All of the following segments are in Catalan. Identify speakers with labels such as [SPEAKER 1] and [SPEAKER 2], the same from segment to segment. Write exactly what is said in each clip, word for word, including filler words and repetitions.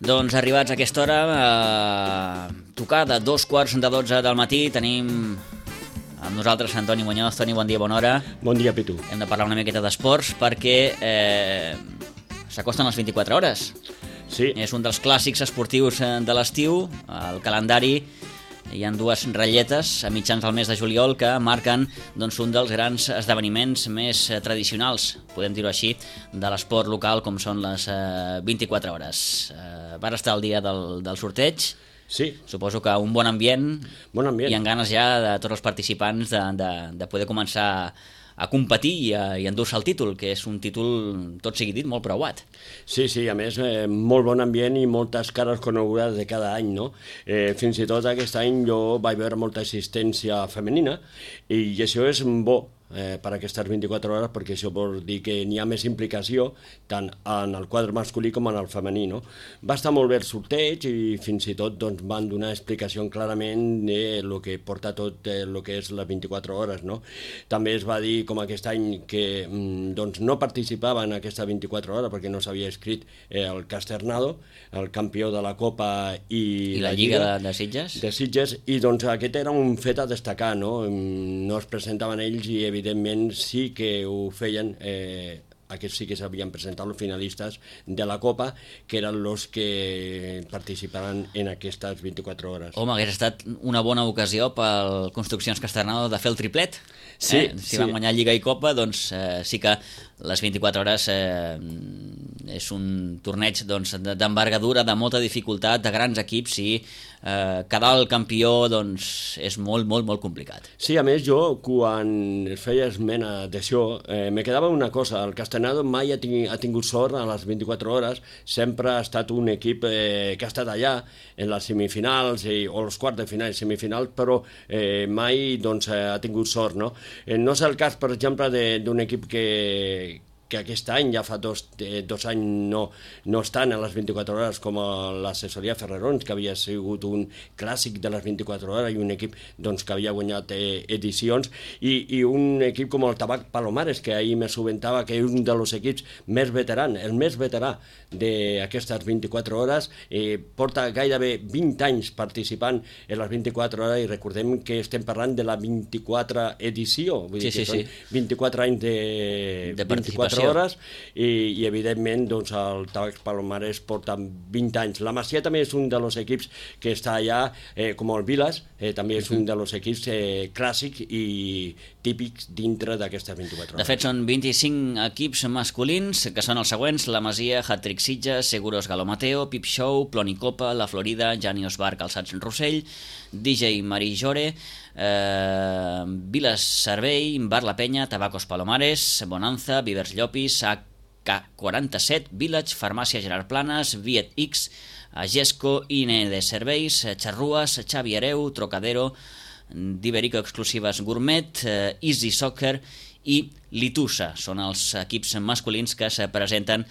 [SPEAKER 1] Doncs arribats a aquesta hora, eh, tocada, dos quarts de dotze del matí, tenim amb nosaltres Antoni Muñoz. Toni, bon dia, bona hora.
[SPEAKER 2] Bon dia, Pitu.
[SPEAKER 1] Hem de parlar una miqueta d'esports perquè eh, s'acosten les vint-i-quatre hores.
[SPEAKER 2] Sí.
[SPEAKER 1] És un dels clàssics esportius de l'estiu. Al calendari hi ha dues ratlletes a mitjans del mes de juliol que marquen doncs, un dels grans esdeveniments més eh, tradicionals, podem dir-ho així, de l'esport local, com són les eh, vint-i-quatre hores. Eh, va estar el dia del, del sorteig.
[SPEAKER 2] Sí.
[SPEAKER 1] Suposo que un bon ambient,
[SPEAKER 2] bon ambient.
[SPEAKER 1] I amb ganes ja de tots els participants de, de, de poder començar a competir i, a, i endur-se el títol, que és un títol, tot sigui dit, molt preuat.
[SPEAKER 2] Sí, sí, a més, eh, molt bon ambient i moltes cares conegudes de cada any, no? Eh, fins i tot aquest any jo vaig veure molta assistència femenina i això és bo eh, per aquestes vint-i-quatre hores, perquè això vol dir que n'hi ha més implicació tant en el quadre masculí com en el femení, no? Va estar molt bé el sorteig i fins i tot doncs, van donar explicació clarament de lo que porta tot el eh, que és les vint-i-quatre hores, no? També es va dir, com aquest any, que mm, doncs, no participava en aquesta vint-i-quatre hores perquè no s'havia escrit eh, el Casternado, el campió de la Copa i,
[SPEAKER 1] I la, la Lliga, Lliga de, de Sitges.
[SPEAKER 2] De Sitges, i doncs aquest era un fet a destacar, no? No es presentaven ells i evidentment sí que ho feien, eh, aquests sí que s'havien presentat els finalistes de la Copa, que eren els que participaran en aquestes vint-i-quatre hores.
[SPEAKER 1] Home, hagués estat una bona ocasió pel Construccions Casternado de fer el triplet.
[SPEAKER 2] Sí,
[SPEAKER 1] eh? Si
[SPEAKER 2] sí.
[SPEAKER 1] van guanyar Lliga i Copa, doncs eh, sí que les vint-i-quatre hores eh, és un torneig doncs, d'envergadura, de molta dificultat, de grans equips, i eh, quedar el campió doncs, és molt, molt, molt complicat.
[SPEAKER 2] Sí, a més jo, quan es feia esmena d'això, eh, me quedava una cosa: el Casternado mai ha, ting ha tingut sort a les vint-i-quatre hores, sempre ha estat un equip eh, que ha estat allà en les semifinals i, o els quarts de final i semifinals, però eh, mai doncs, ha tingut sort, no? Eh, no és el cas, per exemple, d'un equip que que aquest any, ja fa dos, eh, dos anys, no, no estan a les vint-i-quatre hores, com l'assessoria Ferrerons, que havia sigut un clàssic de les vint-i-quatre hores i un equip doncs, que havia guanyat eh, edicions, i, i un equip com el Tabac Palomares, que ahir me subentava que és un dels equips més veterans, el més veterà d'aquestes vint-i-quatre hores, eh, porta gairebé vint anys participant en les vint-i-quatre hores, i recordem que estem parlant de la vint-i-quatre edició, vull
[SPEAKER 1] sí,
[SPEAKER 2] dir que
[SPEAKER 1] sí,
[SPEAKER 2] són
[SPEAKER 1] sí.
[SPEAKER 2] vint-i-quatre anys de,
[SPEAKER 1] de
[SPEAKER 2] vint-i-quatre hores, i, i evidentment doncs, el Tabac Palomares porta vint anys. La Masia també és un dels equips que està allà, eh, com el Vilas, eh, també és un dels equips eh, clàssics i típics dintre d'aquestes vint-i-quatre hores.
[SPEAKER 1] De fet, són vint-i-cinc equips masculins, que són els següents: la Masia, Hat-Trick Sitges, Seguros Galomateo, Pip Show, Plonicopa, La Florida, Janios Bar, Calçats Rossell, D J Marí Jore, eh, Vilas Servei, Bar La Penya, Tabacos Palomares, Bonanza, Vivers Llopis, A K quaranta-set, Village, Farmàcia Gerard Planes, Viet X, Agesco, I N E de Serveis, Xarrues, Xavi Hereu, Trocadero, d'Iberico Exclusives Gourmet, eh, Easy Soccer i Litusa. Són els equips masculins que se presenten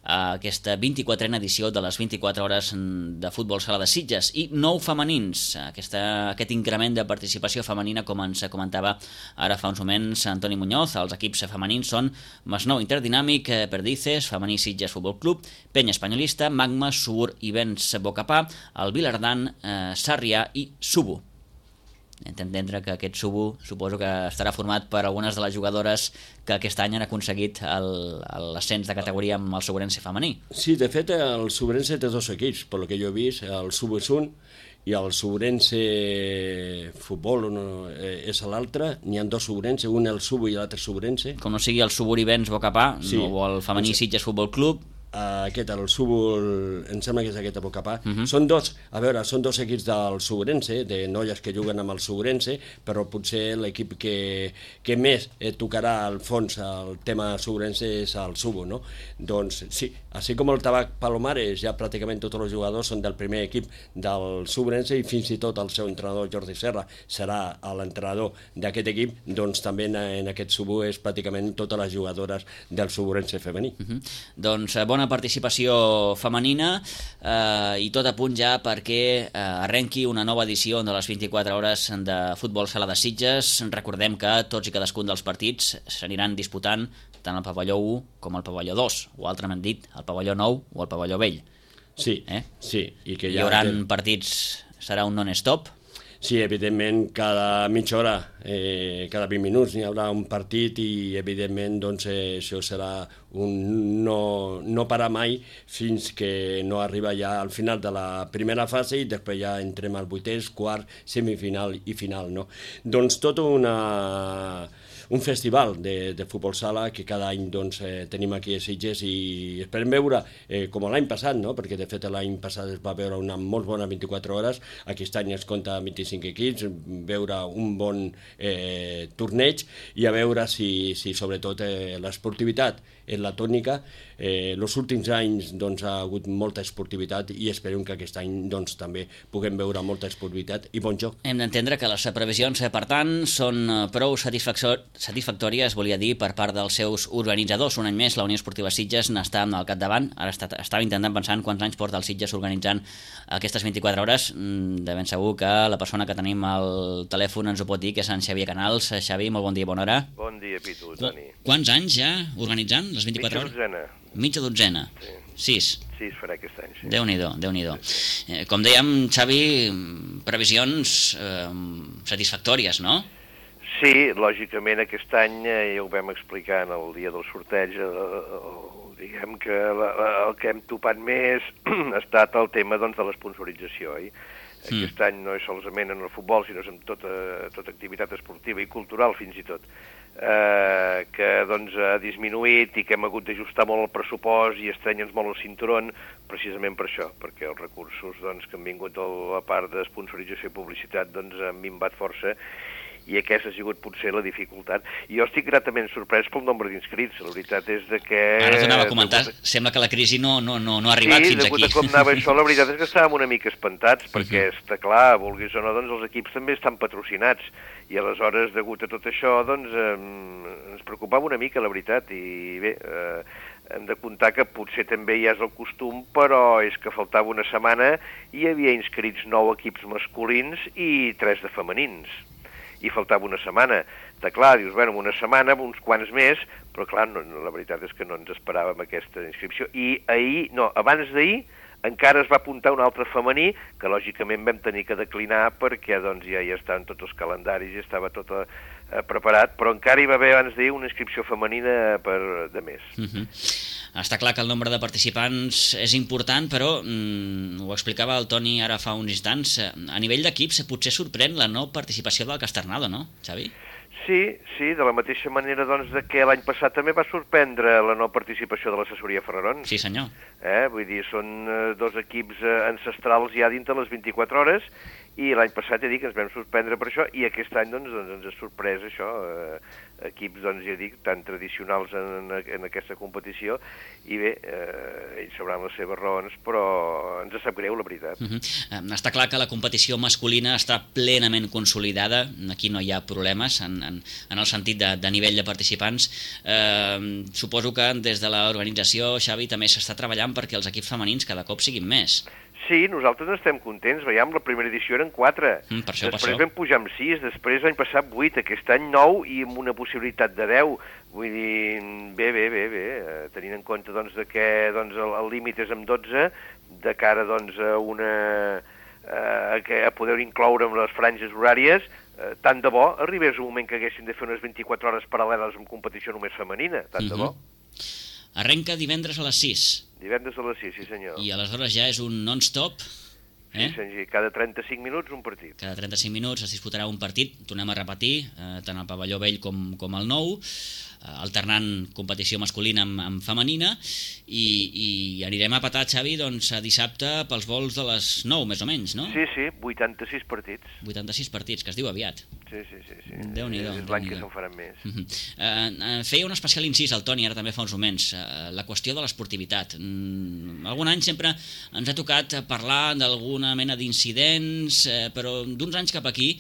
[SPEAKER 1] a aquesta vint-i-quatrena edició de les vint-i-quatre hores de futbol sala de Sitges, i nou femenins, aquesta, aquest increment de participació femenina, com ens comentava ara fa uns moments Antoni Muñoz. Els equips femenins són Masnou Interdinàmic, Perdices, Femení Sitges Futbol Club, Penya Espanyolista, Magma, Sur i Vents Bocapà, el Vilardan, eh, Sarrià i Subu. Hem d'entendre que aquest Subu suposo que estarà format per algunes de les jugadores que aquest any han aconseguit l'ascens de categoria amb el Sobrense femení.
[SPEAKER 2] Sí, de fet el Sobrense té dos equips, pel que jo he vist, el Subu és un i el Sobrense Futbol no, eh, és l'altre. N'hi ha dos Sobrense, un el Subu i l'altre Sobrense.
[SPEAKER 1] Com no sigui el Subu i Vents Bocapà,
[SPEAKER 2] sí.
[SPEAKER 1] O el femení Sitges Futbol Club.
[SPEAKER 2] Uh, aquest, el Subu, em sembla que és aquest a Bocapà. Uh -huh. Són dos, a veure, són dos equips del Sobrense, de noies que juguen amb el Sobrense, però potser l'equip que, que més eh, tocarà al fons el tema Sobrense és el Subu, no? Doncs sí, així com el Tabac Palomares, ja pràcticament tots els jugadors són del primer equip del Sobrense, i fins i tot el seu entrenador Jordi Serra serà l'entrenador d'aquest equip, doncs també en, en aquest Subu és pràcticament totes les jugadores del Sobrense femení.
[SPEAKER 1] Uh -huh. Doncs eh, bona participació femenina, eh, i tot a punt ja perquè eh, arrenqui una nova edició de les vint-i-quatre hores de futbol sala de Sitges. Recordem que tots i cadascun dels partits s'aniran disputant tant al pavelló u com al pavelló dos, o altrament dit, al pavelló nou o al pavelló vell.
[SPEAKER 2] Sí,
[SPEAKER 1] eh?
[SPEAKER 2] sí. I que
[SPEAKER 1] Hi
[SPEAKER 2] ja
[SPEAKER 1] haurà
[SPEAKER 2] té...
[SPEAKER 1] partits, serà un non-stop?
[SPEAKER 2] Sí, evidentment, cada mitja hora, eh, cada vint minuts n'hi haurà un partit i, evidentment, doncs, eh, això serà un no, no parar mai fins que no arriba ja al final de la primera fase i després ja entrem al vuitès, quart, semifinal i final, no? Doncs tota una... un festival de, de futbol sala que cada any doncs, eh, tenim aquí a Sitges i esperem veure, eh, com l'any passat, no? Perquè de fet l'any passat es va veure una molt bona vint-i-quatre hores, aquest any es compta vint-i-cinc equips, veure un bon eh, torneig i a veure si, si sobretot eh, l'esportivitat és la tònica. Eh, els últims anys doncs, ha hagut molta esportivitat i esperem que aquest any doncs, també puguem veure molta esportivitat i bon joc.
[SPEAKER 1] Hem d'entendre que les previsions, per tant, són prou satisfactòries, volia dir, per part dels seus organitzadors. Un any més, la Unió Esportiva Sitges n'està al capdavant. Ara està, estava intentant pensar en quants anys porta el Sitges organitzant aquestes vint-i-quatre hores. De ben segur que la persona que tenim al telèfon ens ho pot dir, que és en Xavier Canals. Xavi, molt bon dia, bona hora.
[SPEAKER 3] Bon dia, Pitu, Toni.
[SPEAKER 1] Quants anys ja organitzant les vint-i-quatre hores?
[SPEAKER 3] Mitja dotzena.
[SPEAKER 1] Mitja dotzena?
[SPEAKER 3] Sí.
[SPEAKER 1] Sis?
[SPEAKER 3] Sis farà aquest any, sí.
[SPEAKER 1] Déu-n'hi-do, Déu-n'hi-do. Eh, com dèiem, Xavi, previsions eh, satisfactòries, no?
[SPEAKER 3] Sí, lògicament aquest any, eh, ja ho vam explicar en el dia del sorteig, eh, eh, diguem que la, la, el que hem topat més ha estat el tema doncs, de l'esponsorització, oi? Mm. Aquest any no és solament en el futbol, sinó en tota, tota activitat esportiva i cultural, fins i tot, eh, que doncs, ha disminuït i que hem hagut d'ajustar molt el pressupost i estrenya'ns molt el cinturón, precisament per això, perquè els recursos doncs, que han vingut a la part d'esponsorització i publicitat doncs, han minvat força, i aquesta ha sigut potser la dificultat. Jo estic gratament sorprès pel nombre d'inscrits, la veritat és de que...
[SPEAKER 1] Ara t'anava a comentar, degut... sembla que la crisi no, no, no, no ha arribat
[SPEAKER 3] sí,
[SPEAKER 1] fins aquí.
[SPEAKER 3] Sí, degut a com anava això, la veritat és que estàvem una mica espantats, perquè uh -huh. està clar, vulguis o no, doncs els equips també estan patrocinats, i aleshores, degut a tot això, doncs eh, ens preocupava una mica, la veritat, i bé... Eh, hem de comptar que potser també ja és el costum, però és que faltava una setmana i hi havia inscrits nou equips masculins i tres de femenins. I faltava una setmana. De clar, dius, bueno, una setmana, uns quants més, però clar, no, no, la veritat és que no ens esperàvem aquesta inscripció. I ahir, no, abans d'ahir, encara es va apuntar un altre femení, que lògicament vam tenir que declinar perquè doncs, ja hi estaven tots els calendaris, ja estava tot eh, preparat, però encara hi va haver abans d'ahir una inscripció femenina per, de més.
[SPEAKER 1] Uh -huh. Està clar que el nombre de participants és important, però mm, ho explicava el Toni ara fa uns instants, a nivell d'equips potser sorprèn la no participació del Casternado, no, Xavi?
[SPEAKER 3] Sí, sí, de la mateixa manera doncs, de que l'any passat també va sorprendre la no participació de l'assessoria Ferrarons.
[SPEAKER 1] Sí, senyor.
[SPEAKER 3] Eh? Vull dir, són eh, dos equips eh, ancestrals ja dintre les vint-i-quatre hores, i l'any passat ja dic que ens vam sorprendre per això, i aquest any doncs, doncs ens ha sorprès això, eh, equips, doncs ja dic, tan tradicionals en, en aquesta competició, i bé, eh, ells sabran les seves raons, però ens sap greu, la veritat.
[SPEAKER 1] Uh -huh. Està clar que la competició masculina està plenament consolidada, aquí no hi ha problemes en, en, en el sentit de, de nivell de participants. Eh, suposo que des de l'organització, Xavi, també s'està treballant perquè els equips femenins cada cop siguin més.
[SPEAKER 3] Sí, nosaltres n'estem contents. Veiem, la primera edició eren quatre.
[SPEAKER 1] Mm, per això,
[SPEAKER 3] després
[SPEAKER 1] per
[SPEAKER 3] vam pujar amb sis, després l'any passat vuit, aquest any nou i amb una possibilitat de deu. Vull dir, bé, bé, bé, bé. Tenint en compte doncs, de que doncs, el límit és amb dotze, de cara doncs, a, una, a, a poder incloure amb les franges horàries, eh, tant de bo arribés un moment que haguessin de fer unes vint-i-quatre hores paral·leles amb competició només femenina, tant mm-hmm. de bo.
[SPEAKER 1] Arrenca divendres a les sis.
[SPEAKER 3] Divendres a les sis, sí senyor.
[SPEAKER 1] I aleshores ja és un non-stop.
[SPEAKER 3] Eh? Sí, senyor. Cada trenta-cinc minuts un partit.
[SPEAKER 1] Cada trenta-cinc minuts es disputarà un partit, tornem a repetir, eh, tant al pavelló vell com, com al nou, eh, alternant competició masculina amb, amb femenina, i, i anirem a petar, Xavi, doncs, a dissabte pels vols de les nou, més o menys, no?
[SPEAKER 3] Sí, sí, vuitanta-sis partits.
[SPEAKER 1] vuitanta-sis partits, que es diu aviat.
[SPEAKER 3] Sí, sí, sí. sí.
[SPEAKER 1] Déu-n'hi-do.
[SPEAKER 3] És l'any que se'n faran més.
[SPEAKER 1] Uh -huh. eh, feia un especial incís al Toni, ara també fa uns moments, eh, la qüestió de l'esportivitat. Mm, algun any sempre ens ha tocat parlar d'alguna mena d'incidents, eh, però d'uns anys cap aquí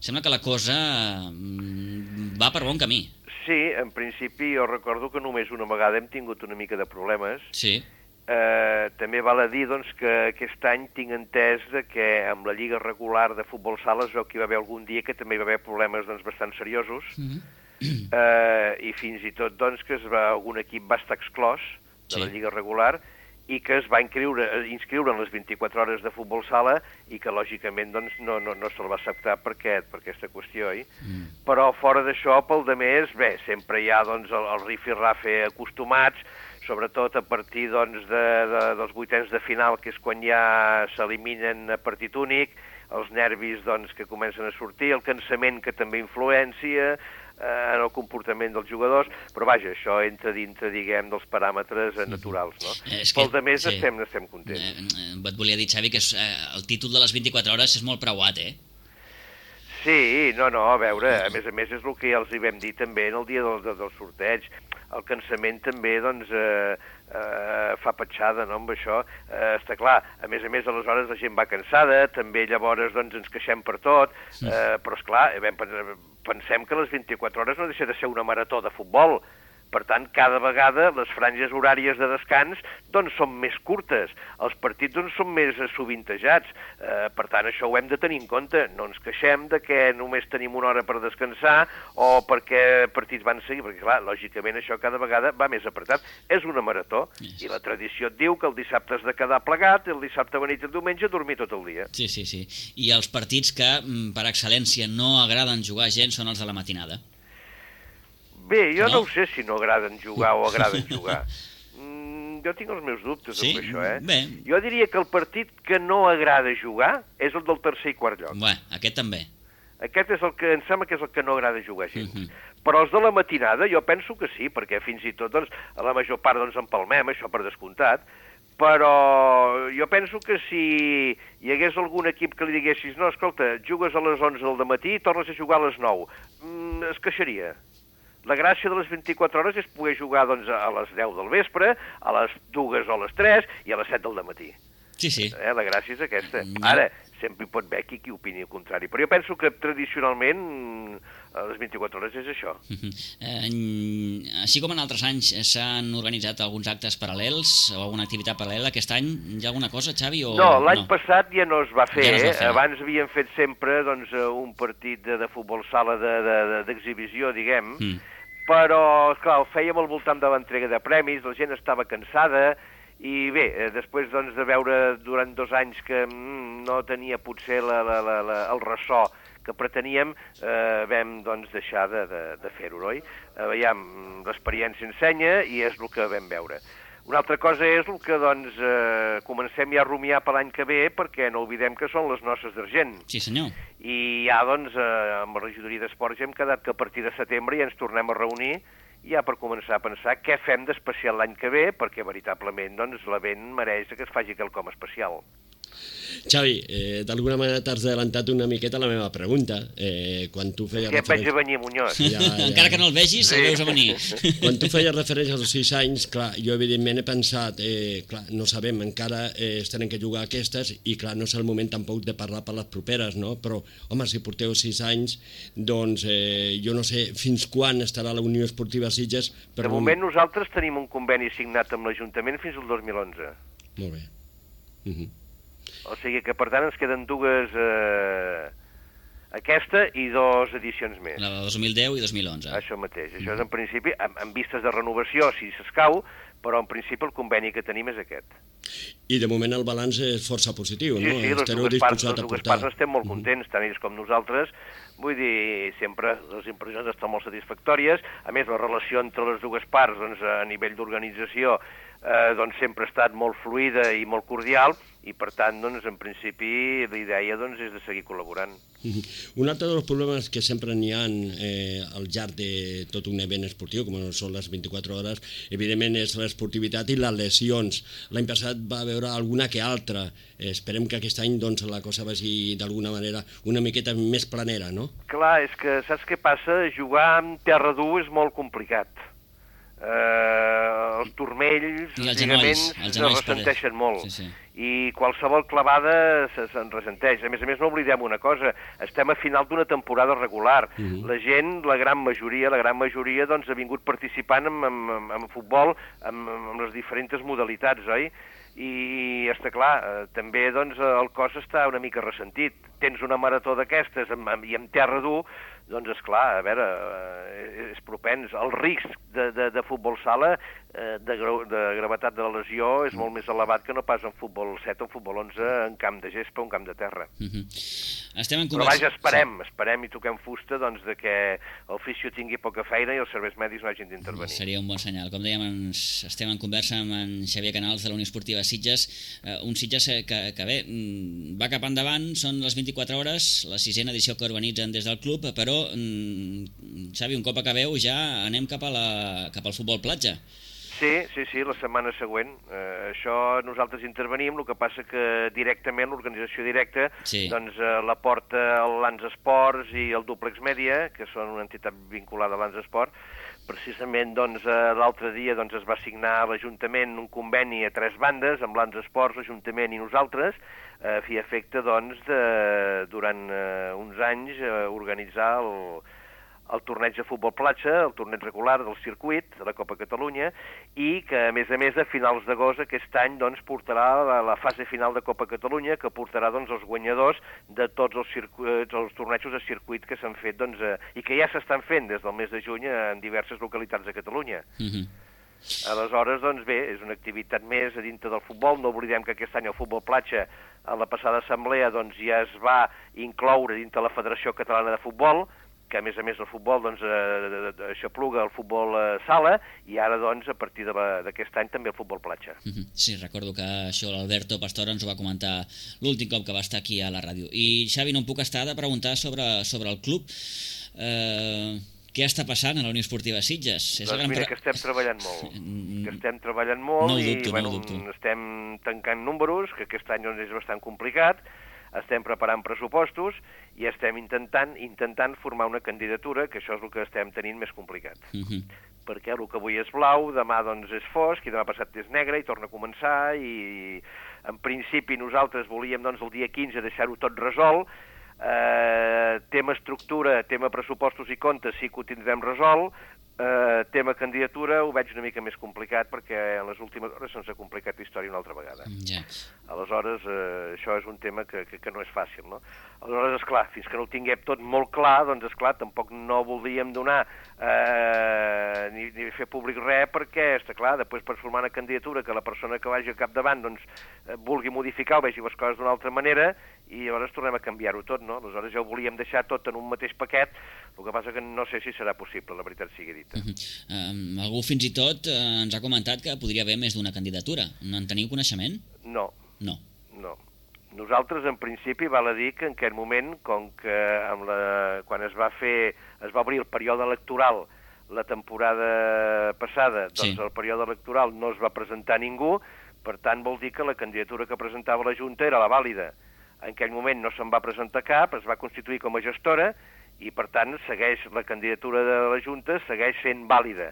[SPEAKER 1] sembla que la cosa mm, va per bon camí.
[SPEAKER 3] Sí, en principi jo recordo que només una vegada hem tingut una mica de problemes.
[SPEAKER 1] Sí.
[SPEAKER 3] Eh, també val a dir doncs, que aquest any tinc entès de que amb la lliga regular de futbol sala es veu que hi va haver algun dia que també hi va haver problemes doncs, bastant seriosos, mm-hmm. eh, i fins i tot doncs, que es va, algun equip va estar exclòs de sí. la lliga regular, i que es va inscriure, inscriure en les vint-i-quatre hores de futbol sala i que, lògicament, doncs, no, no, no se'l va acceptar per, aquest, per aquesta qüestió. Eh? Mm. Però, fora d'això, pel de més, bé, sempre hi ha doncs, el, el rifi-rafe acostumats, sobretot a partir doncs, de, de, dels vuitens de final, que és quan ja s'eliminen a partit únic, els nervis doncs, que comencen a sortir, el cansament que també influencia en el comportament dels jugadors, però vaja, això entra dintre, diguem, dels paràmetres naturals, no? Eh, Pel de més, sí. estem, estem contents.
[SPEAKER 1] Eh, et volia dir, Xavi, que és, eh, el títol de les vint-i-quatre hores és molt preuat, eh?
[SPEAKER 3] Sí, no, no, a veure, a més a més és el que ja els hi vam dir també en el dia del, del sorteig. El cansament també, doncs, eh, eh, fa petjada, no?, amb això. Eh, està clar, a més a més, aleshores la gent va cansada, també llavors, doncs, ens queixem per tot, eh, però, esclar, pensem que les vint-i-quatre hores no deixa de ser una marató de futbol. Per tant, cada vegada les franges horàries de descans doncs, són més curtes, els partits doncs, són més sovintejats. Eh, per tant, això ho hem de tenir en compte. No ens queixem de que només tenim una hora per descansar o perquè partits van seguir, perquè, clar, lògicament això cada vegada va més apretat. És una marató, i la tradició et diu que el dissabte has de quedar plegat, el dissabte venit i el diumenge dormir tot el dia.
[SPEAKER 1] Sí, sí, sí. I els partits que, per excel·lència, no agraden jugar gent són els de la matinada.
[SPEAKER 3] Bé, jo no, no ho sé si no agraden jugar o agraden jugar. Mm, jo tinc els meus dubtes sí? amb això, eh?
[SPEAKER 1] Bé.
[SPEAKER 3] Jo diria que el partit que no agrada jugar és el del tercer i quart lloc.
[SPEAKER 1] Bé, aquest també.
[SPEAKER 3] Aquest és el que em sembla que és el que no agrada jugar gens. Uh
[SPEAKER 1] Mhm.
[SPEAKER 3] -huh. Però els de la matinada jo penso que sí, perquè fins i tot doncs, a la major part doncs, empalmem, això per descomptat, però jo penso que si hi hagués algun equip que li diguessis no, escolta, jugues a les onze del matí i tornes a jugar a les nou, mm, es queixaria. La gràcia de les vint-i-quatre hores és poder jugar doncs, a les deu del vespre, a les dues o a les tres i a les set del dematí.
[SPEAKER 1] Sí, sí.
[SPEAKER 3] Eh, la gràcia és aquesta. Ara, sempre hi pot haver qui, qui opini el contrari, però jo penso que tradicionalment a les vint-i-quatre hores és això.
[SPEAKER 1] Uh-huh. eh, així com en altres anys s'han organitzat alguns actes paral·lels o alguna activitat paral·lela, aquest any hi ha alguna cosa, Xavi? O...
[SPEAKER 3] No, l'any no? passat ja no es va fer.
[SPEAKER 1] Ja no es va fer.
[SPEAKER 3] Eh? Abans havien fet sempre doncs, un partit de, de futbol sala d'exhibició, de, de, diguem, mm. però, esclar, ho fèiem al voltant de l'entrega de premis, la gent estava cansada, i bé, eh, després doncs, de veure durant dos anys que mm, no tenia potser la, la, la, la, el ressò que preteníem, eh, vam doncs, deixar de, de, de fer-ho, oi? Eh, veiem, l'experiència ensenya i és el que vam veure. Una altra cosa és el que doncs, eh, comencem ja a rumiar per l'any que ve, perquè no oblidem que són les noces d'argent.
[SPEAKER 1] Sí, senyor.
[SPEAKER 3] I ja, doncs, eh, amb la regidoria d'Esports ja hem quedat que a partir de setembre ja ens tornem a reunir ja per començar a pensar què fem d'especial l'any que ve, perquè veritablement doncs, l'event mereix que es faci quelcom especial.
[SPEAKER 2] Xavi, eh, d'alguna manera t'has adelantat una miqueta la meva pregunta. Eh, quan tu feies
[SPEAKER 3] que referència... veig a venir, Muñoz.
[SPEAKER 1] Ja, ja. Encara que no el vegis, sí. El veus a venir.
[SPEAKER 2] Quan tu feies referència als sis anys, clar, jo evidentment he pensat, eh, clar, no sabem, encara eh, es tenen que jugar aquestes i clar, no és el moment tampoc de parlar per les properes, no? Però, home, si porteu sis anys, doncs eh, jo no sé fins quan estarà la Unió Esportiva Sitges.
[SPEAKER 3] Però... De moment nosaltres tenim un conveni signat amb l'Ajuntament fins al dos mil onze.
[SPEAKER 2] Molt bé. Uh -huh.
[SPEAKER 3] O sigui que, per tant, ens queden dues... Eh, aquesta i dues edicions més.
[SPEAKER 1] La de dos mil deu i dos mil onze.
[SPEAKER 3] Això mateix. Això és, en principi, amb, amb vistes de renovació, si s'escau, però, en principi, el conveni que tenim és aquest.
[SPEAKER 2] I, de moment, el balanç és força positiu,
[SPEAKER 3] sí,
[SPEAKER 2] no?
[SPEAKER 3] Sí, sí, les dues, parts, les dues parts estem molt contents, tant ells com nosaltres. Vull dir, sempre les impressions estan molt satisfactòries. A més, la relació entre les dues parts, doncs, a nivell d'organització, eh, doncs, sempre ha estat molt fluida i molt cordial, i per tant, doncs, en principi, la idea doncs, és de seguir col·laborant.
[SPEAKER 2] Un altre dels problemes que sempre n'hi ha eh, al llarg de tot un event esportiu, com són les vint-i-quatre hores, evidentment és l'esportivitat i les lesions. L'any passat va haver alguna que altra. Eh, esperem que aquest any doncs, la cosa vagi d'alguna manera una miqueta més planera, no?
[SPEAKER 3] Clar, és que saps què passa? Jugar en terra dur és molt complicat. Eh, els turmells, els lligaments, es ressenteixen molt. Sí, sí. I qualsevol clavada se'n ressenteix. A més a més, no oblidem una cosa, estem a final d'una temporada regular. Uh-huh. La gent, la gran majoria, la gran majoria, doncs, ha vingut participant en, en, en futbol, en, en les diferents modalitats, oi? I està clar, eh, també doncs, el cos està una mica ressentit. tens una marató d'aquestes i en terra dur, doncs, esclar, a veure, eh, és propens. El risc de, de, de futbol sala, eh, de, de gravetat de la lesió, és molt més elevat que no pas en futbol set o en futbol onze, en camp de gespa o en camp de terra.
[SPEAKER 1] Uh-huh. Estem en
[SPEAKER 3] Però
[SPEAKER 1] conversa...
[SPEAKER 3] vaja, esperem, sí. esperem i toquem fusta doncs, de que el fisio tingui poca feina i els serveis mèdics no hagin d'intervenir.
[SPEAKER 1] Seria un bon senyal. Com dèiem, ens estem en conversa amb en Xavier Canals de la Unió Esportiva Sitges, eh, un Sitges que, que bé, va cap endavant, són les vint-i-quatre hores, la sisena edició que organitzen des del club, però Xavi, un cop acabeu ja anem cap, a la, cap al futbol platja.
[SPEAKER 3] Sí, sí, sí, la setmana següent. Eh, això nosaltres intervenim, el que passa que directament, l'organització directa, sí. doncs eh, la porta el Lans Esports i el Duplex Media, que són una entitat vinculada a Lans Esport. Precisament doncs, eh, l'altre dia doncs, es va signar a l'Ajuntament un conveni a tres bandes, amb Lans Esports, l'Ajuntament i nosaltres, a fi efecte doncs, de, durant eh, uns anys eh, organitzar el, el torneig de futbol platja, el torneig regular del circuit de la Copa Catalunya, i que a més a més a finals d'agost aquest any doncs, portarà la, la fase final de Copa Catalunya, que portarà doncs, els guanyadors de tots els, circuits, els tornejos de circuit que s'han fet doncs, eh, i que ja s'estan fent des del mes de juny en diverses localitats de Catalunya. Mm-hmm. Aleshores, doncs bé, és una activitat més a dintre del futbol. No oblidem que aquest any el futbol platja, a la passada assemblea, doncs ja es va incloure dintre la Federació Catalana de Futbol, que a més a més el futbol doncs, eh, aixopluga el futbol eh, sala, i ara doncs a partir d'aquest any també el futbol platja.
[SPEAKER 1] Sí, recordo que això l'Alberto Pastor ens ho va comentar l'últim cop que va estar aquí a la ràdio. I Xavi, no em puc estar de preguntar sobre, sobre el club. Eh, què està passant a la Unió Esportiva Sitges?
[SPEAKER 3] És doncs mira, que estem treballant molt, que estem treballant molt
[SPEAKER 1] no dubto,
[SPEAKER 3] i bueno,
[SPEAKER 1] no
[SPEAKER 3] estem tancant números, que aquest any doncs, és bastant complicat. Estem preparant pressupostos i estem intentant intentant formar una candidatura, que això és el que estem tenint més complicat. Uh-huh. Perquè el que avui és blau, demà doncs és fosc, i demà passat és negre, i torna a començar, i en principi nosaltres volíem doncs el dia quinze deixar-ho tot resolt. Eh, tema estructura, tema pressupostos i comptes sí que ho tindrem resolt. Uh, tema candidatura ho veig una mica més complicat perquè en les últimes hores se'ns ha complicat la història una altra vegada. Ja. Aleshores, uh, això és un tema que, que, que no és fàcil, no? Aleshores, esclar, fins que no ho tinguem tot molt clar, doncs, esclar, tampoc no voldríem donar uh, ni, ni fer públic res perquè, està clar, després per formar una candidatura que la persona que vagi al capdavant doncs, uh, vulgui modificar o vegi les coses d'una altra manera i llavors tornem a canviar-ho tot, no? Aleshores ja ho volíem deixar tot en un mateix paquet, el que passa que no sé si serà possible, la veritat sigui dit.
[SPEAKER 1] Uh-huh. Um, algú fins i tot uh, ens ha comentat que podria haver més d'una candidatura. No en teniu coneixement?
[SPEAKER 3] No.
[SPEAKER 1] No.
[SPEAKER 3] No. Nosaltres, en principi, val a dir que en aquest moment, com que amb la, quan es va fer, es va obrir el període electoral la temporada passada, doncs sí. El període electoral no es va presentar ningú, per tant vol dir que la candidatura que presentava la Junta era la vàlida. En aquell moment no se'n va presentar cap, es va constituir com a gestora, i per tant segueix la candidatura de la Junta segueix sent vàlida.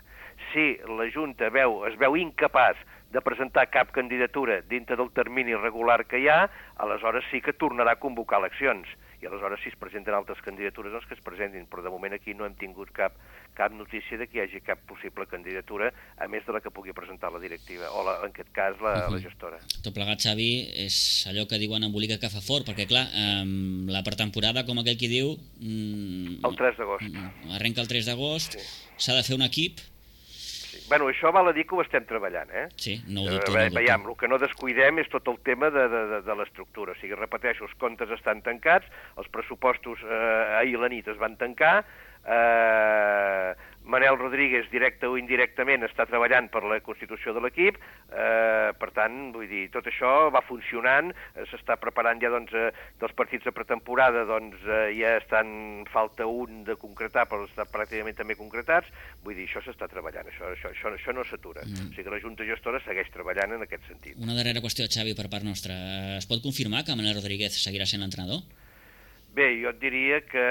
[SPEAKER 3] Si la Junta veu, es veu incapaç de presentar cap candidatura dintre del termini regular que hi ha, aleshores sí que tornarà a convocar eleccions. I aleshores si es presenten altres candidatures, doncs que es presentin. Però de moment aquí no hem tingut cap, cap notícia de que hi hagi cap possible candidatura, a més de la que pugui presentar la directiva, o la, en aquest cas la, uh-huh. la gestora.
[SPEAKER 1] Tot plegat, Xavi, és allò que diuen embolica que fa fort, perquè clar, eh, la pretemporada, com aquell qui diu... Mm,
[SPEAKER 3] el tres d'agost.
[SPEAKER 1] Arrenca el tres d'agost, sí. S'ha de fer un equip...
[SPEAKER 3] Bueno, això val a dir que ho estem treballant, eh?
[SPEAKER 1] Sí, no ho dubto, no ho dubto.
[SPEAKER 3] Veiem, el que no descuidem és tot el tema de, de, de, de l'estructura. O sigui, repeteixo, els comptes estan tancats, els pressupostos eh, ahir a la nit es van tancar, eh, Manel Rodríguez, directe o indirectament, està treballant per la constitució de l'equip, eh, per tant, vull dir, tot això va funcionant, eh, s'està preparant ja, doncs, eh, dels partits de pretemporada, doncs, eh, ja estan, falta un de concretar, però estan pràcticament també concretats, vull dir, això s'està treballant, això, això, això, això no s'atura. Mm. O sigui que la Junta Gestora segueix treballant en aquest sentit.
[SPEAKER 1] Una darrera qüestió, Xavi, per part nostra. Es pot confirmar que Manel Rodríguez seguirà sent l'entrenador?
[SPEAKER 3] Bé, jo et diria que,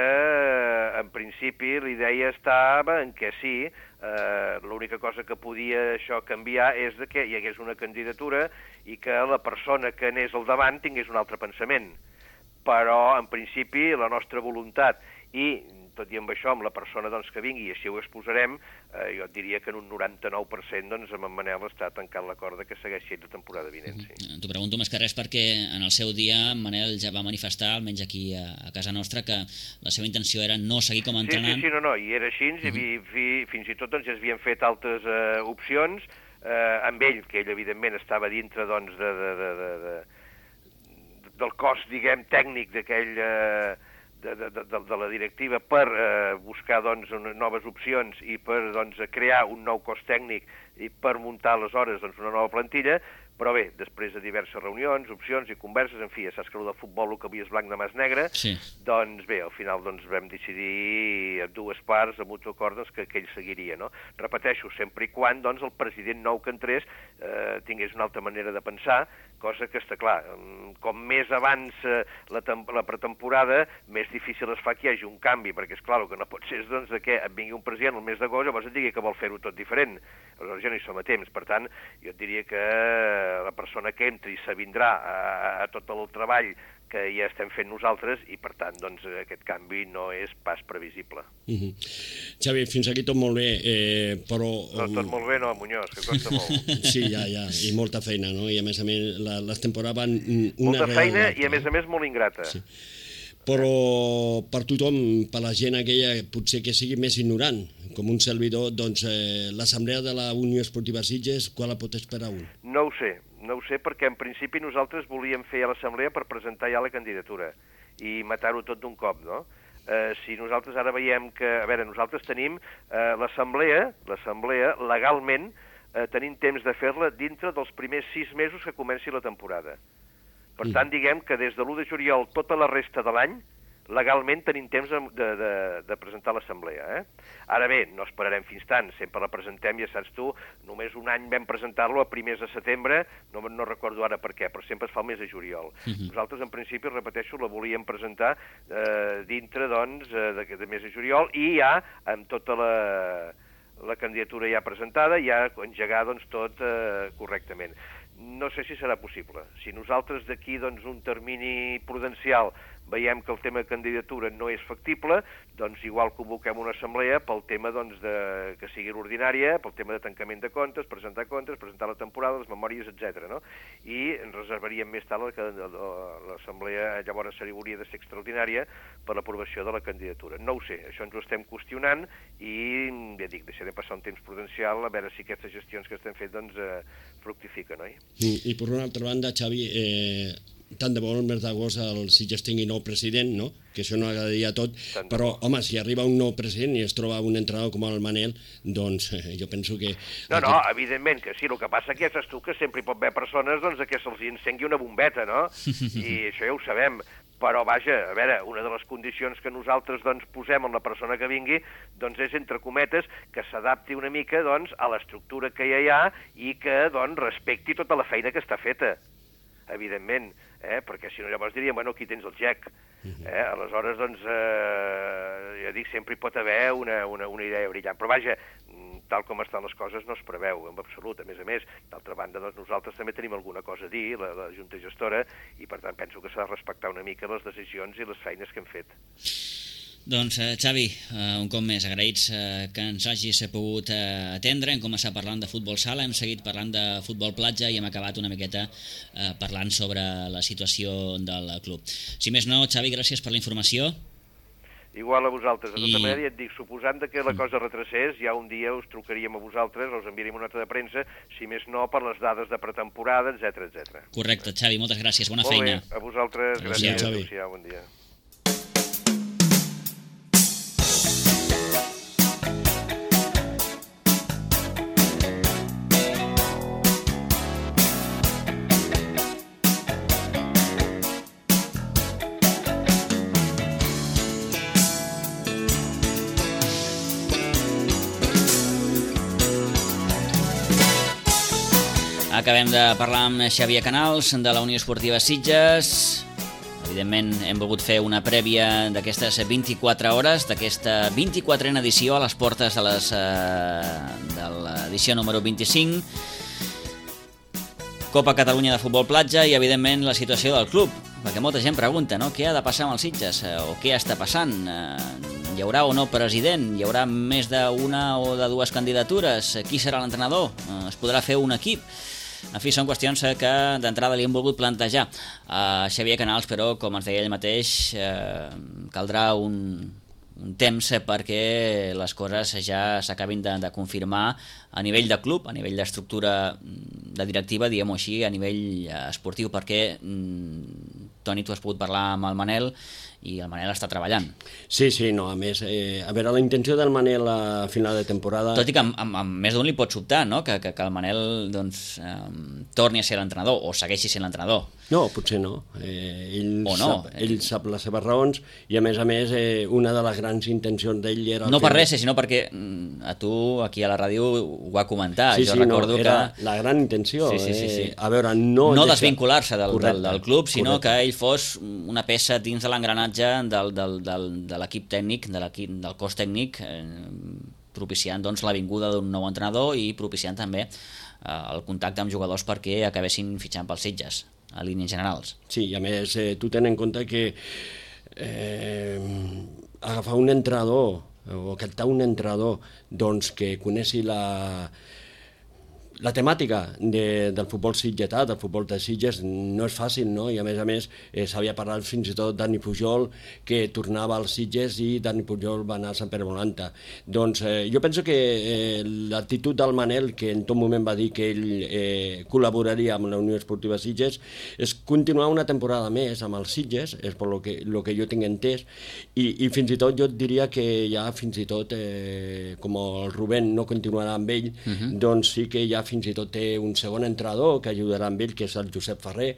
[SPEAKER 3] en principi, la idea estava en què sí, eh, l'única cosa que podia això canviar és de que hi hagués una candidatura i que la persona que anés al davant tingués un altre pensament. Però, en principi, la nostra voluntat i tot i amb això, amb la persona doncs, que vingui, i així ho exposarem, eh, jo et diria que en un noranta-nou per cent doncs, amb en Manel està tancant l'acord que segueixi la temporada vinent. Sí.
[SPEAKER 1] T'ho pregunto més que res perquè en el seu dia Manel ja va manifestar, almenys aquí a, a casa nostra, que la seva intenció era no seguir com a entrenant.
[SPEAKER 3] Sí, sí, sí, no, no, i era així, uh-huh. i fi, fins i tot doncs, ja s'havien fet altres eh, opcions, eh, amb ell, que ell evidentment estava dintre doncs, de, de, de, de, de, del cos, diguem, tècnic d'aquell... Eh, De, de, de, de la directiva per eh, buscar doncs, noves opcions i per doncs, crear un nou cos tècnic i per muntar aleshores doncs, una nova plantilla, però bé, després de diverses reunions, opcions i converses, en fi, ja saps que el de futbol el que havia és blanc de mas negre, sí. Doncs bé, al final doncs, vam decidir a dues parts, a mutu acord, doncs, que, que ell seguiria, no? Repeteixo, sempre i quan doncs, el president nou que entrés eh, tingués una altra manera de pensar, cosa que està clar, com més avança la, la pretemporada, més difícil es fa que hi hagi un canvi, perquè és clar, el que no pot ser és doncs, que et vingui un president el mes d'agost, llavors et digui que vol fer-ho tot diferent, aleshores ja no hi som a temps, per tant, jo et diria que la persona que entri s'avindrà a, a tot el treball que ja estem fent nosaltres i, per tant, doncs, aquest canvi no és pas previsible.
[SPEAKER 2] Uh-huh. Xavi, fins aquí tot molt bé, eh, però...
[SPEAKER 3] No, tot molt bé, no, Muñoz, que costa molt.
[SPEAKER 2] Sí, ja, ja, i molta feina, no? I a més a més, la, les temporades van... Una
[SPEAKER 3] molta feina i, a més a més, molt ingrata.
[SPEAKER 2] Sí. Però per tothom, per la gent aquella, potser que sigui més ignorant, com un servidor, doncs eh, l'assemblea de la Unió Esportiva Sitges, quan la pot esperar un?
[SPEAKER 3] No ho sé, no ho sé, perquè en principi nosaltres volíem fer a l'assemblea per presentar ja la candidatura i matar-ho tot d'un cop, no? Eh, si nosaltres ara veiem que... A veure, nosaltres tenim eh, l'assemblea, l'assemblea legalment eh, tenim temps de fer-la dintre dels primers sis mesos que comenci la temporada. Per tant, diguem que des de l'u de juliol tota la resta de l'any, legalment tenim temps de, de, de presentar l'assemblea. Eh? Ara bé, no esperarem fins tant, sempre la presentem, ja saps tu, només un any vam presentar-lo a primers de setembre, no, no recordo ara per què, però sempre es fa el mes de juliol. Uh-huh. Nosaltres, en principi, repeteixo, la volíem presentar eh, dintre, doncs, de, de mes de juliol, i ja amb tota la... la candidatura ja presentada, ja engegar doncs, tot eh, correctament. No sé si serà possible. Si nosaltres d'aquí doncs, un termini prudencial veiem que el tema de candidatura no és factible, doncs igual convoquem una assemblea pel tema doncs, de, que sigui l'ordinària, pel tema de tancament de comptes, presentar comptes, presentar la temporada, les memòries, etcètera. No? I ens reservaríem més tard que l'assemblea llavors hauria de ser extraordinària per l'aprovació de la candidatura. No ho sé, això ens ho estem qüestionant i, ja dic, deixaré passar un temps prudencial a veure si aquestes gestions que estem fent doncs, eh, fructifiquen, oi?
[SPEAKER 2] I, I per una altra banda, Xavi, eh, tant de bo el mes d'agost el Sitges tingui nou president, no? Que això no agradaria tot, tant però, home, si arriba un nou president i es troba un entrenador com el Manel, doncs eh, jo penso que...
[SPEAKER 3] No, no, evidentment que sí, el que passa que ja saps tu que sempre hi pot haver persones doncs, que se'ls encengui una bombeta, no? I això ja ho sabem. Però, vaja, a veure, una de les condicions que nosaltres doncs, posem en la persona que vingui doncs, és, entre cometes, que s'adapti una mica doncs, a l'estructura que ja hi ha i que doncs, respecti tota la feina que està feta, evidentment, eh? Perquè si no llavors diríem, bueno, aquí tens el Jack. Eh? Aleshores, doncs, eh, ja dic, sempre hi pot haver una, una, una idea brillant. Però, vaja, tal com estan les coses no es preveu, en absolut. A més a més, d'altra banda, doncs, nosaltres també tenim alguna cosa a dir, la, la Junta Gestora, i per tant penso que s'ha de respectar una mica les decisions i les feines que hem fet.
[SPEAKER 1] Doncs, eh, Xavi, eh, un cop més, agraïts eh, que ens hagis pogut eh, atendre. Hem començat parlant de futbol sala, hem seguit parlant de futbol platja i hem acabat una miqueta eh, parlant sobre la situació del club. Si més no, Xavi, gràcies per la informació.
[SPEAKER 3] Igual a vosaltres. De tota I... manera, ja et dic, suposant que la cosa retrocés, ja un dia us trucaríem a vosaltres, us enviaríem una nota de premsa, si més no, per les dades de pretemporada, etcètera, etcètera.
[SPEAKER 1] Correcte, Xavi, moltes gràcies, bona
[SPEAKER 3] Molt
[SPEAKER 1] feina.
[SPEAKER 3] Molt bé, a vosaltres, gràcies. Xavi. Adéu, bon dia.
[SPEAKER 1] Acabem de parlar amb Xavier Canals, de la Unió Esportiva Sitges. Evidentment, hem volgut fer una prèvia d'aquestes vint-i-quatre hores, d'aquesta vint-i-quatrena edició a les portes de, les, eh, de l'edició número vint-i-cinc. Copa Catalunya de Futbol Platja i, evidentment, la situació del club. Perquè molta gent pregunta, no?, què ha de passar amb els Sitges? O què està passant? Hi haurà o no president? Hi haurà més d'una o de dues candidatures? Qui serà l'entrenador? Es podrà fer un equip? En fi, són qüestions que d'entrada li hem volgut plantejar a Xavier Canals, però, com ens deia ell mateix, eh, caldrà un, un temps perquè les coses ja s'acabin de, de confirmar a nivell de club, a nivell d'estructura de directiva, diguem-ho així, a nivell esportiu, perquè, Toni, tu has pogut parlar amb el Manel i el Manel està treballant.
[SPEAKER 2] Sí, sí, no, a més, eh, a veure, la intenció del Manel a final de temporada...
[SPEAKER 1] Tot i que amb, amb, amb més d'un li pot sobtar, no?, que, que, que el Manel doncs, eh, torni a ser l'entrenador o segueixi sent l'entrenador.
[SPEAKER 2] No, potser no. Eh, ell,
[SPEAKER 1] o no.
[SPEAKER 2] Sap, ell sap les seves raons i, a més a més, eh, una de les grans intencions d'ell era...
[SPEAKER 1] No per res, sinó perquè a tu, aquí a la ràdio, ho va comentar.
[SPEAKER 2] Sí,
[SPEAKER 1] jo
[SPEAKER 2] sí,
[SPEAKER 1] recordo
[SPEAKER 2] no, era
[SPEAKER 1] que...
[SPEAKER 2] la gran intenció.
[SPEAKER 1] Sí, sí, sí, sí.
[SPEAKER 2] Eh, a veure, no...
[SPEAKER 1] No
[SPEAKER 2] deixa...
[SPEAKER 1] desvincular-se del, del, del club, sinó
[SPEAKER 2] correcte.
[SPEAKER 1] que ell fos una peça dins de l'engranatge del, del, del, de l'equip tècnic, de l'equip del cos tècnic, eh, propiciant doncs, la vinguda d'un nou entrenador i propiciant també eh, el contacte amb jugadors perquè acabessin fitxant pels Sitges, a línies generals.
[SPEAKER 2] Sí, i a més, eh, tu ten en compte que eh, agafar un entrenador o captar un entrenador doncs, que coneixi la... La temàtica de, del futbol sitgetà, del futbol de Sitges, no és fàcil, no? I a més a més eh, s'havia parlat fins i tot Dani Pujol, que tornava als Sitges i Dani Pujol va anar a Sant Pere Volanta. Doncs eh, jo penso que eh, l'actitud del Manel, que en tot moment va dir que ell eh, col·laboraria amb la Unió Esportiva Sitges, és continuar una temporada més amb els Sitges, és per lo que, lo que jo tinc entès, i, i fins i tot jo et diria que ja fins i tot, eh, com el Rubén no continuarà amb ell, uh-huh. doncs sí que ja fins i tot té un segon entrenador que ajudarà amb ell, que és el Josep Ferrer,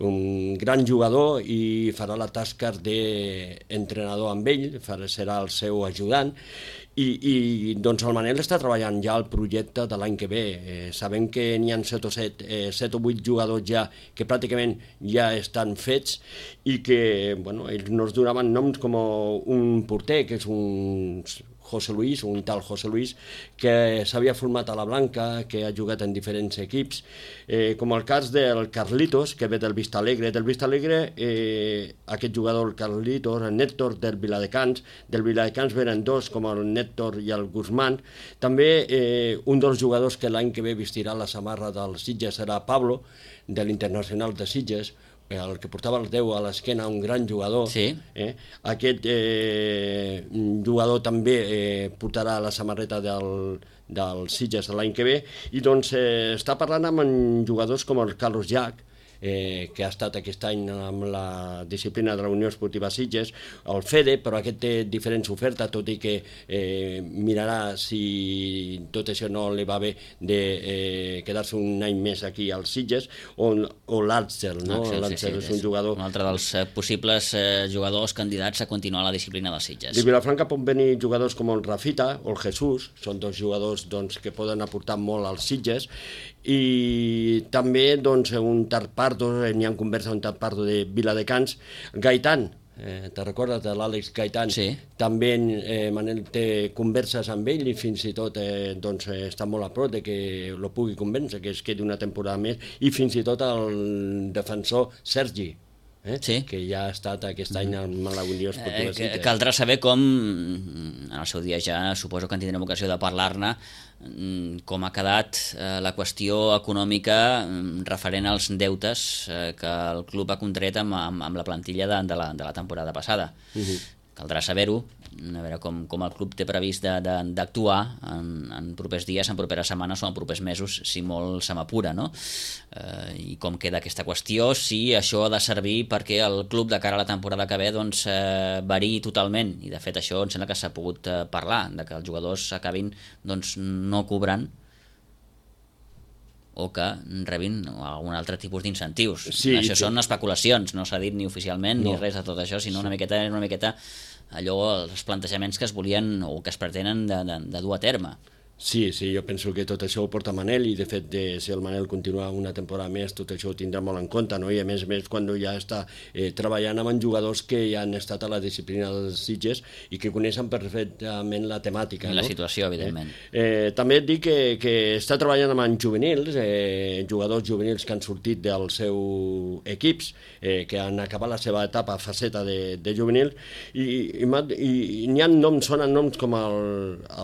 [SPEAKER 2] un gran jugador i farà la tasca d'entrenador amb ell, farà, serà el seu ajudant, i, i doncs el Manel està treballant ja el projecte de l'any que ve. Eh, sabem que n'hi ha set o set, eh, set o vuit jugadors ja que pràcticament ja estan fets i que, bueno, ells nos donaven noms com un porter, que és un... José Luis, un tal José Luis, que s'havia format a la Blanca, que ha jugat en diferents equips, eh, com el cas del Carlitos, que ve del Vista Alegre. Del Vista Alegre, eh, aquest jugador, el Carlitos, el Nèctor del Viladecans, del Viladecans venen dos, com el Nèctor i el Guzmán. També eh, un dels jugadors que l'any que ve vestirà la samarra del Sitges serà Pablo, de l'Internacional de Sitges, el que portava el deu a l'esquena, un gran jugador.
[SPEAKER 1] Sí.
[SPEAKER 2] Eh? Aquest eh, jugador també eh, portarà la samarreta del, del Sitges l'any que ve, i doncs eh, està parlant amb jugadors com el Carlos Llach, eh, que ha estat aquest any amb la disciplina de la Unió Esportiva Sitges, el Fede, però aquest té diferents ofertes, tot i que eh, mirarà si tot això no li va bé de eh, quedar-se un any més aquí als Sitges, o, o l'Àxel, no? L'Àxel sí, sí, és un jugador...
[SPEAKER 1] Un altre dels eh, possibles eh, jugadors candidats a continuar la disciplina dels Sitges.
[SPEAKER 2] De Vilafranca pot venir jugadors com el Rafita o el Jesús, són dos jugadors doncs, que poden aportar molt als Sitges, i també doncs, un Tarpardo, n'hi ha conversa un Tarpardo de Viladecans, Gaitán, eh, te recordes de l'Àlex Gaitán?
[SPEAKER 1] Sí.
[SPEAKER 2] També eh, Manel té converses amb ell i fins i tot eh, doncs, està molt a prop de que lo pugui convèncer, que es quedi una temporada més, i fins i tot el defensor Sergi, Eh?
[SPEAKER 1] Sí.
[SPEAKER 2] que ja ha estat aquest any amb la Unió Esportiva
[SPEAKER 1] eh,
[SPEAKER 2] Sitges.
[SPEAKER 1] Caldrà saber com, en el seu dia ja suposo que en tindrem ocasió de parlar-ne, com ha quedat eh, la qüestió econòmica referent als deutes eh, que el club ha contret amb, amb, amb la plantilla de, de, la, de la temporada passada. Uh-huh. Caldrà saber-ho, a veure com, com el club té previst d'actuar en, en propers dies, en properes setmanes o en propers mesos, si molt se m'apura, no? Eh, I com queda aquesta qüestió, si això ha de servir perquè el club de cara a la temporada que ve doncs, eh, variï totalment, i de fet això em sembla que s'ha pogut eh, parlar, de que els jugadors acabin doncs, no cobrant o que rebin algun altre tipus d'incentius. Sí, això sí. Són especulacions, no s'ha dit ni oficialment no. ni res de tot això, sinó sí. una miqueta una miqueta allò, els plantejaments que es volien o que es pretenen de, de, de dur a terme.
[SPEAKER 2] Sí, sí, jo penso que tot això ho porta Manel i de fet de, si el Manel continua una temporada més tot això ho tindrà molt en compte, no? I a més a més quan ja està eh, treballant amb jugadors que ja han estat a la disciplina dels Sitges i que coneixen perfectament la temàtica.
[SPEAKER 1] La
[SPEAKER 2] no?
[SPEAKER 1] situació, evidentment.
[SPEAKER 2] Eh, eh, també et dic que, que està treballant amb juvenils, eh, jugadors juvenils que han sortit dels seus equips, eh, que han acabat la seva etapa faceta de, de juvenil i, i, i, i n'hi ha noms, sonen noms com el,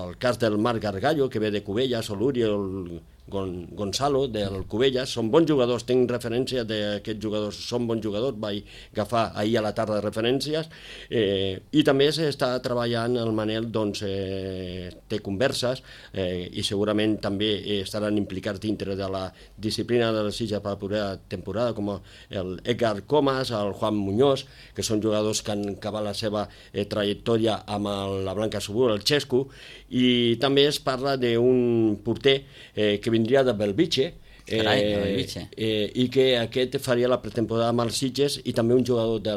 [SPEAKER 2] el cas del Marc Gargallo, que ve de Cubelles, o l'Uriel Gon, Gonzalo, del Cubelles, són bons jugadors, tinc referència d'aquests jugadors, són bons jugadors, vaig agafar ahir a la tarda referències, eh, i també s'està treballant el Manel, doncs, eh, té converses, eh, i segurament també estaran implicats dintre de la disciplina de les Sitges per la propera temporada, com el Edgar Comas, el Juan Muñoz, que són jugadors que han acabat la seva eh, trajectòria amb el, la Blanca Subur, el Xesco, i també es parla d'un porter eh, que vindria de Belvitge, eh,
[SPEAKER 1] Carai, de Belvitge.
[SPEAKER 2] eh, i que aquest faria la pretemporada amb els Sitges i també un jugador de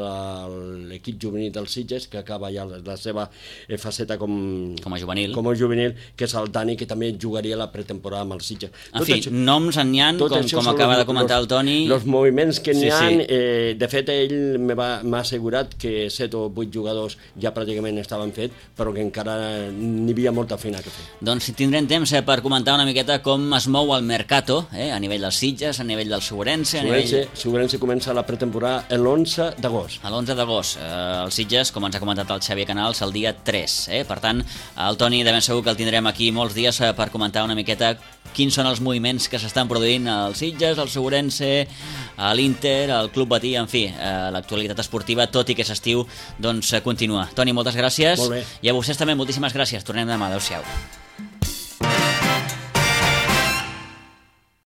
[SPEAKER 2] l'equip juvenil dels Sitges que acaba ja la, la seva eh, faceta com,
[SPEAKER 1] com a juvenil,
[SPEAKER 2] com a juvenil, que és el Dani, que també jugaria la pretemporada amb els Sitges.
[SPEAKER 1] En
[SPEAKER 2] tot
[SPEAKER 1] fi, això, noms en n'hi ha, com, com acaba
[SPEAKER 2] los,
[SPEAKER 1] de comentar
[SPEAKER 2] los,
[SPEAKER 1] el Toni.
[SPEAKER 2] Els moviments que n'hi
[SPEAKER 1] sí,
[SPEAKER 2] ha,
[SPEAKER 1] sí.
[SPEAKER 2] eh, de fet ell m'ha assegurat que set o vuit jugadors ja pràcticament estaven fets, però que encara n'hi havia molta feina que fer.
[SPEAKER 1] Doncs tindrem temps eh, per comentar una miqueta com es mou el mercato, eh, a nivell dels Sitges, a nivell del Segurense, a
[SPEAKER 2] Segurense,
[SPEAKER 1] nivell...
[SPEAKER 2] Segurense comença la pretemporada l'onze d'agost.
[SPEAKER 1] A l'onze d'agost, eh, els Sitges, com ens ha comentat el Xavier Canals, el dia tres. Eh? Per tant, el Toni de ben segur que el tindrem aquí molts dies eh, per comentar una miqueta quins són els moviments que s'estan produint als Sitges, al Segurense, a l'Inter, al Club Batí, en fi, eh, l'actualitat esportiva, tot i que s'estiu, doncs eh, continua. Toni, moltes gràcies.
[SPEAKER 2] Molt bé.
[SPEAKER 1] I a vostès també moltíssimes gràcies. Tornem demà. Adéu-siau.